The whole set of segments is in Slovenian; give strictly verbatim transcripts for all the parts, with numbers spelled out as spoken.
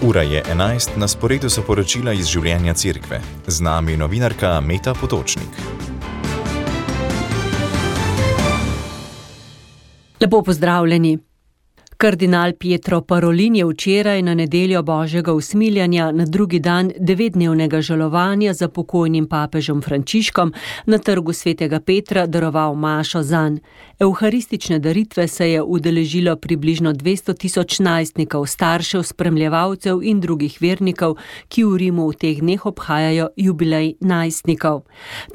Ura je enajst, na sporedu so poročila iz življenja cerkve. Z nami je novinarka Meta Potočnik. Lepo pozdravljeni. Kardinal Pietro Parolin je včeraj na nedeljo Božjega usmiljanja na drugi dan devetdnevnega žalovanja za pokojnim papežem Frančiškom na trgu svetega Petra daroval mašo zanj. Evharistične daritve se je udeležilo približno dvesto tisoč najstnikov, staršev, spremljevalcev in drugih vernikov, ki v Rimu v teh dneh obhajajo jubilej najstnikov.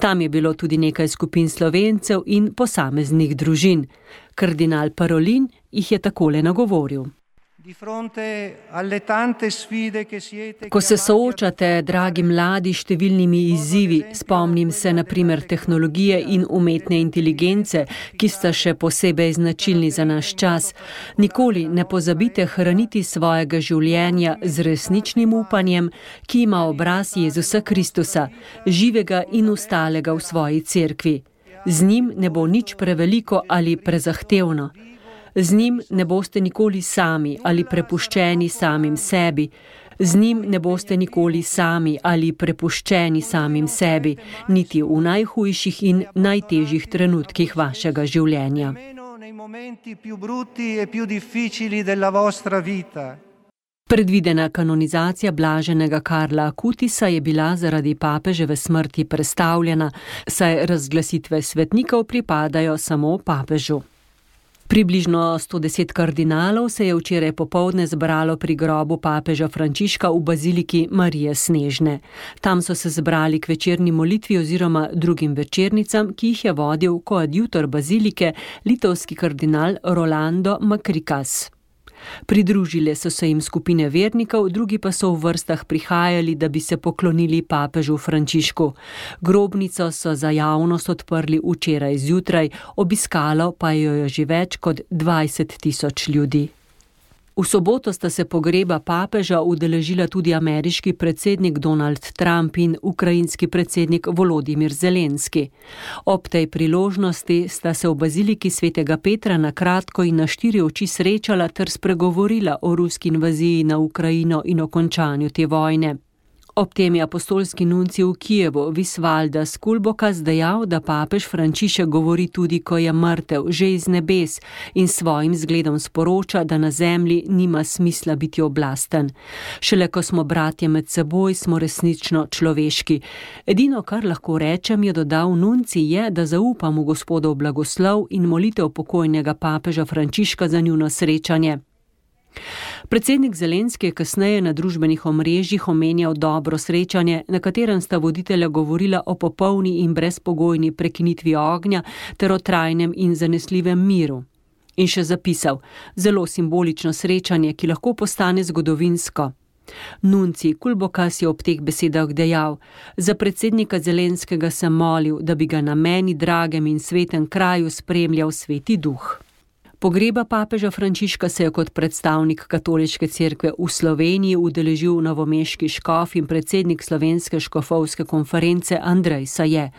Tam je bilo tudi nekaj skupin Slovencev in posameznih družin. Kardinal Parolin jih je takole nagovoril. Ko se soočate, dragi mladi, številnimi izzivi, spomnim se na primer tehnologije in umetne inteligence, ki sta še posebej značilni za naš čas, nikoli ne pozabite hraniti svojega življenja z resničnim upanjem, ki ima obraz Jezusa Kristusa, živega in ustalega v svoji cerkvi. Z njim ne bo nič preveliko ali prezahtevno. Z njim ne boste nikoli sami ali prepuščeni samim sebi. Z njim ne boste nikoli sami ali prepuščeni samim sebi, niti v najhujših in najtežjih trenutkih vašega življenja. Predvidena kanonizacija blaženega Karla Akutisa je bila zaradi papeževe smrti prestavljena, saj razglasitve svetnikov pripadajo samo papežu. Približno sto deset kardinalov se je včeraj popoldne zbralo pri grobu papeža Frančiška v baziliki Marije Snežne. Tam so se zbrali k večerni molitvi oziroma drugim večernicam, ki jih je vodil koadjutor bazilike, litovski kardinal Rolando Makrikas. Pridružile so se jim skupine vernikov, drugi pa so v vrstah prihajali, da bi se poklonili papežu Frančišku. Grobnico so za javnost odprli včeraj zjutraj, obiskalo pa jo je že več kot dvajset tisoč ljudi. V soboto sta se pogreba papeža udeležila tudi ameriški predsednik Donald Trump in ukrajinski predsednik Volodimir Zelenski. Ob tej priložnosti sta se v baziliki svetega Petra na kratko in na štiri oči srečala ter spregovorila o ruski invaziji na Ukrajino in o končanju te vojne. Ob tem je apostolski nuncij v Kijevu Visvaldas Kulbokas dejal, da papež Frančišek govori tudi, ko je mrtev, že iz nebes, in svojim zgledom sporoča, da na zemlji nima smisla biti oblasten. Šele ko smo bratje med seboj, smo resnično človeški. Edino, kar lahko rečem, je dodal nuncij, je, da zaupam v Gospodov blagoslov in molitev pokojnega papeža Frančiška za njuno srečanje. Predsednik Zelenski je kasneje na družbenih omrežjih omenjal dobro srečanje, na katerem sta voditelja govorila o popolni in brezpogojni prekinitvi ognja ter o trajnem in zanesljivem miru. In še zapisal, zelo simbolično srečanje, ki lahko postane zgodovinsko. Nuncij Kulbokas je ob teh besedah dejal, za predsednika Zelenskega sem molil, da bi ga na meni dragem in svetem kraju spremljal Sveti Duh. Pogreba papeža Frančiška se je kot predstavnik katoliške cerkve v Sloveniji udeležil novomeški škof in predsednik slovenske škofovske konference Andrej Saje.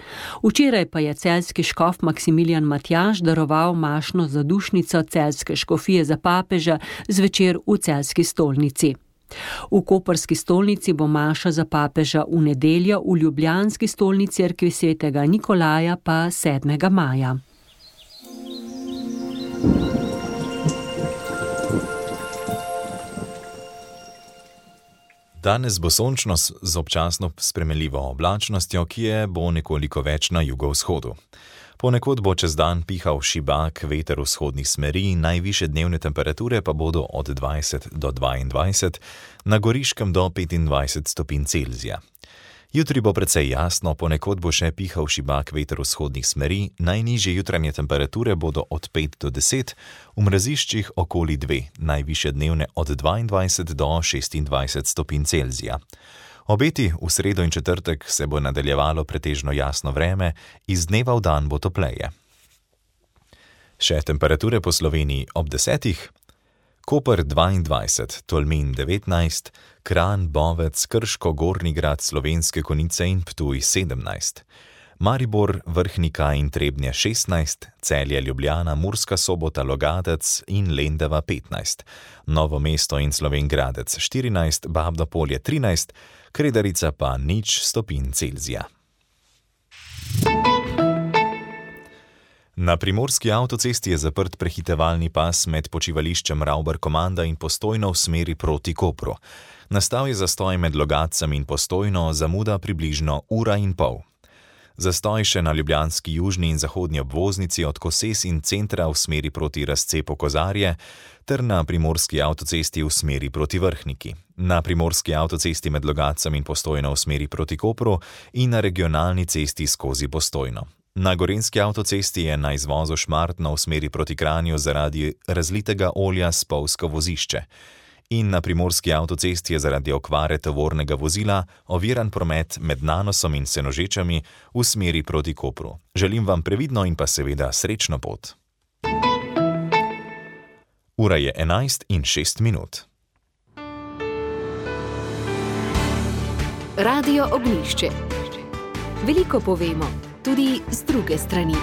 Včeraj pa je celjski škof Maksimilijan Matjaž daroval mašno zadušnico celjske škofije za papeža zvečer v celjski stolnici. V koprski stolnici bo maša za papeža v nedeljo, v ljubljanski stolni cerkvi svetega Nikolaja pa sedmega maja. Danes bo sončno z občasno spremenljivo oblačnostjo, ki je bo nekoliko več na jugovzhodu. Ponekod bo čez dan pihal šibak veter vzhodnih smeri, najvišje dnevne temperature pa bodo od dvajset do dvaindvajset, na Goriškem do petindvajset stopinj Celzija. Jutri bo precej jasno, ponekod bo še pihal šibak veter vzhodnih smeri, najnižje jutranje temperature bodo od pet do deset, v mraziščih okoli dve, najvišje dnevne od dvaindvajset do šestindvajset stopinj Celzija. Obeti v sredo in četrtek se bo nadaljevalo pretežno jasno vreme, iz dneva v dan bo topleje. Še temperature po Sloveniji ob desetih. Koper dvaindvajset, Tolmin devetnajst, Kranj, Bovec, Krško, Gornji Grad, Slovenske Konjice in Ptuj sedemnajst. Maribor, Vrhnika in Trebnje šestnajst, Celje, Ljubljana, Murska Sobota, Logatec in Lendava petnajst, Novo mesto in Slovenj Gradec štirinajst, Babno Polje trinajst, Kredarica pa nič stopinj Celzija. Na primorski avtocesti je zaprt prehitevalni pas med počivališčem Ravbar-Komanda in Postojno v smeri proti Kopru. Nastal je zastoj med Logatcem in Postojno, zamuda približno ura in pol. Zastoj še na ljubljanski južni in zahodni obvoznici od Koses in centra v smeri proti razcepu Kozarje ter na primorski avtocesti v smeri proti Vrhniki. Na primorski avtocesti med Logatcem in Postojno v smeri proti Kopru in na regionalni cesti skozi Postojno. Na gorenjski avtocesti je na izvozu Šmartno v smeri proti Kranju zaradi razlitega olja spolzko vozišče. In na primorski avtocesti je zaradi okvare tovornega vozila oviran promet med Nanosom in Senožečami v smeri proti Kopru. Želim vam previdno in pa seveda srečno pot. Ura je enajst in šest minut. Radio Ognjišče. Veliko povemo, tudi z druge strani.